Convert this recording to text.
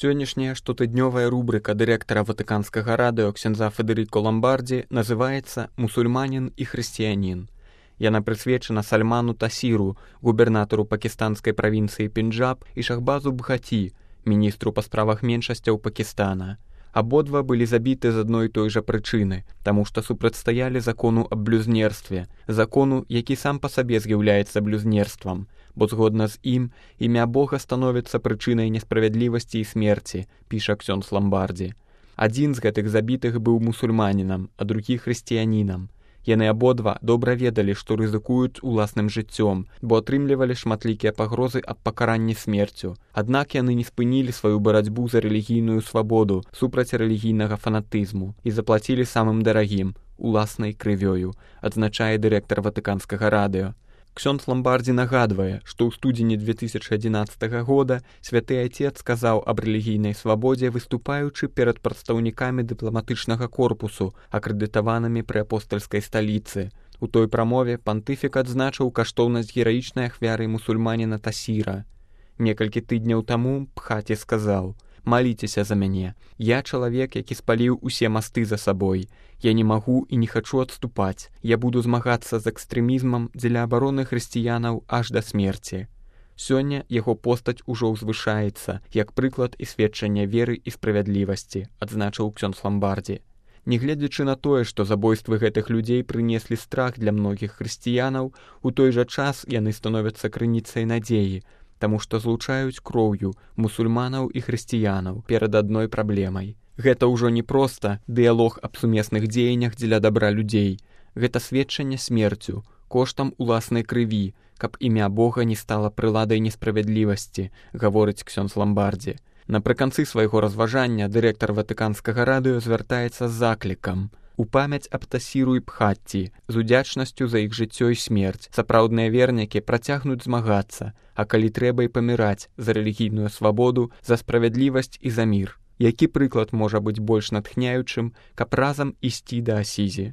Сённяшняя штотыднёвая рубрика дырэктара Ватыканскага радыё ксяндза Федэріко Ламбардзі называецца «Мусульманін і хрысціянін». Яна прысвечана Сальману Тасіру, губернатару пакістанскай правінцыі Пенджаб, і Шахбазу Бхаті, міністру па справах меншасцяў Пакістана. Абодва былі забіты з адной і той жа прычыны, таму што супрацьстаялі закону аб блюзнерстве, закону, які сам па сабе з'яўляецца блюзнерствам, бо згодна з ім імя Бога становіцца прычынай несправядлівасці і смерці, піша ксёндз Ламбардзі. Адзін з гэтых забітых быў мусульманінам, а другі хрысціянінам. Яны абодва добра ведалі, што рызыкуюць уласным жыццём, бо атрымлівалі шматлікія пагрозы аб пакаранні смерцю. Аднак яны не спынілі сваю барацьбу за рэлігійную свабоду супраць рэлігійнага фанатызму і заплацілі самым дарагім – уласнай крывёю, адзначае дырэктар Ватыканскага радыё. Ксёндз Ламбардзі нагадвае, што ў студзені 2011 года святы Айцец сказаў аб рэлігійнай свабодзе, выступаючы перад прадстаўнікамі дыпламатычнага корпусу, акрэдытаванымі пры апостальскай сталіцы. У той прамове пантыфік адзначыў каштоўнасць гераічнай ахвяры мусульманіна Тасіра. Некалькі тыдняў таму Бхаті сказаў: «Маліцеся за мяне. Я чалавек, які спаліў усе масты за сабой. Я не магу і не хачу адступаць. Я буду змагацца з экстрэмізмам дзеля абароны хрысціянаў аж да смерці». Сёння яго постаць ужо ўзвышаецца, як прыклад і сведчання веры і справядлівасці, адзначыў ксёндз Ламбардзі. Нягледзячы на тое, што забойствы гэтых людзей прынеслі страх для многіх хрысціянаў, у той жа час яны становяцца крыніцай надзеі, таму што злучаюць кроўю мусульманаў і хрысціянаў перад адной праблемай. Гэта ўжо не проста дыялог аб сумесных дзеяннях дзеля дабра людзей. Гэта сведчанне смерцю, коштам уласнай крыві, каб імя Бога не стала прыладай несправядлівасці, гаворыць ксёндз Ламбардзі. Напрыканцы свайго разважання дырэктар Ватыканскага радыё звяртаецца з заклікам: у памяць аб Тасіру і Бхатті, з удзячнасцю за іх жыццё і смерць, сапраўдныя вернікі працягнуць змагацца, а калі трэба і паміраць за рэлігійную свабоду, за справядлівасць і за мір. Які прыклад можа быць больш натхняючым, каб разам ісці да Асізі?